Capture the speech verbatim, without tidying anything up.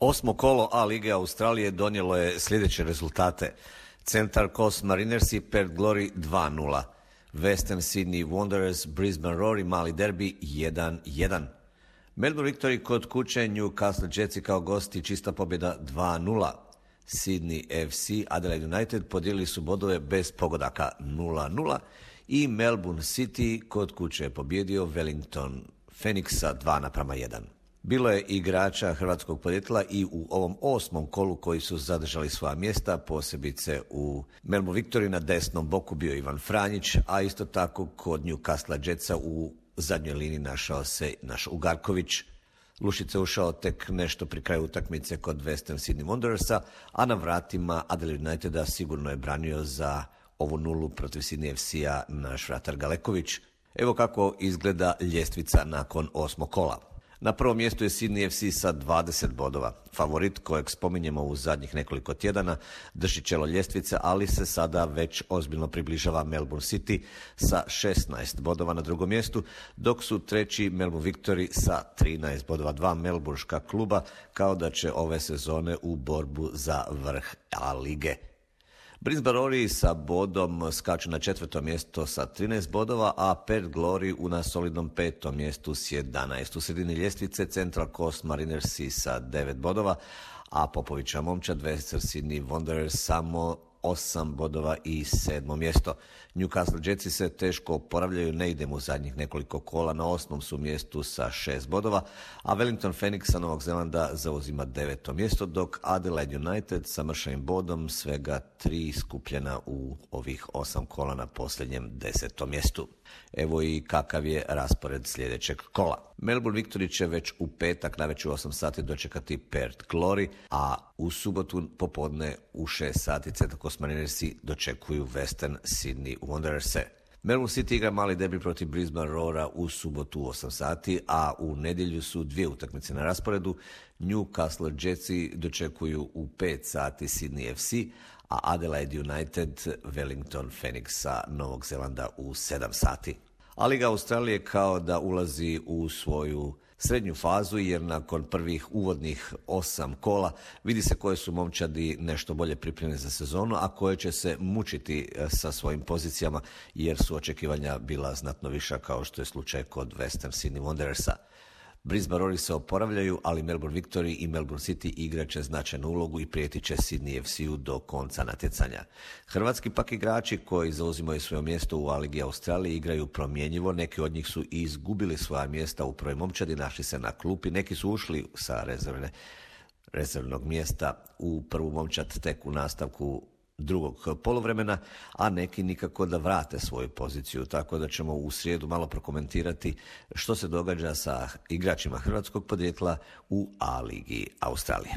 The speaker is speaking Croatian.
Osmo kolo A lige Australije donijelo je sljedeće rezultate. Central Coast Marinersi Perth Glory dva nula. Western Sydney Wanderers Brisbane Roar mali derbi jedan jedan. Melbourne Victory kod kuće Newcastle Jetsi kao gosti čista pobjeda dva nula. Sydney F C Adelaide United podijelili su bodove bez pogodaka nula nula i Melbourne City kod kuće je pobjedio Wellington Phoenixa dva naprama jedan. Bilo je igrača hrvatskog podrijetla i u ovom osmom kolu koji su zadržali svoja mjesta, posebice u Melbourne Victory na desnom boku bio Ivan Franjić, a isto tako kod Newcastle Jetsa u zadnjoj liniji našao se naš Ugarković. Lušica ušao tek nešto pri kraju utakmice kod Western Sydney Wanderersa, a na vratima Adelaide Uniteda sigurno je branio za ovu nulu protiv Sydney F C-a naš vratar Galeković. Evo kako izgleda ljestvica nakon osmog kola. Na prvom mjestu je Sydney F C sa dvadeset bodova. Favorit kojeg spominjemo u zadnjih nekoliko tjedana drži čelo ljestvice, ali se sada već ozbiljno približava Melbourne City sa šesnaest bodova na drugom mjestu, dok su treći Melbourne Victory sa trinaest bodova. Dva melburška kluba kao da će ove sezone u borbu za vrh A lige. Brisbane Roar sa bodom skaču na četvrto mjesto sa trinaest bodova, a Perth Glory u na solidnom petom mjestu s jedanaest. U sredini ljestvice Central Coast Marinersi sa devet bodova, a Popovića momčad Western Sydney Wanderers samo osam bodova i sedmo mjesto. Newcastle Jetsi se teško oporavljaju, ne idemo u zadnjih nekoliko kola, na osmom su mjestu sa šest bodova, a Wellington Phoenix sa Novog Zelanda zauzima deveto mjesto, dok Adelaide United sa mršavim bodom svega tri skupljena u ovih osam kola na posljednjem desetom mjestu. Evo i kakav je raspored sljedećeg kola. Melbourne Victory će već u petak navečer u osam sati dočekati Perth Glory, a u subotu popodne u šest sati Central Coast Marinersi dočekuju Western Sydney Wandererse. Melbourne City igra mali derbi protiv Brisbane Roara u subotu u osam sati, a u nedjelju su dvije utakmice na rasporedu. Newcastle Jetsi dočekuju u pet sati Sydney F C, a Adelaide United Wellington Phoenixa Novog Zelanda u sedam sati. A Liga Australije kao da ulazi u svoju srednju fazu, jer nakon prvih uvodnih osam kola vidi se koje su momčadi nešto bolje pripremljene za sezonu, a koje će se mučiti sa svojim pozicijama, jer su očekivanja bila znatno viša, kao što je slučaj kod Western Sydney Wanderersa. Brisbane Roar se oporavljaju, ali Melbourne Victory i Melbourne City igraće značajnu ulogu i prijeti će Sydney F C-u do konca natjecanja. Hrvatski pak igrači koji zauzimaju svoje mjesto u A ligi Australije igraju promjenjivo, neki od njih su i izgubili svoja mjesta u prvoj momčadi, našli se na klupi, neki su ušli sa rezervne, rezervnog mjesta u prvu momčad tek u nastavku drugog poluvremena, a neki nikako da vrate svoju poziciju, tako da ćemo u srijedu malo prokomentirati što se događa sa igračima hrvatskog podrijetla u A ligi Australije.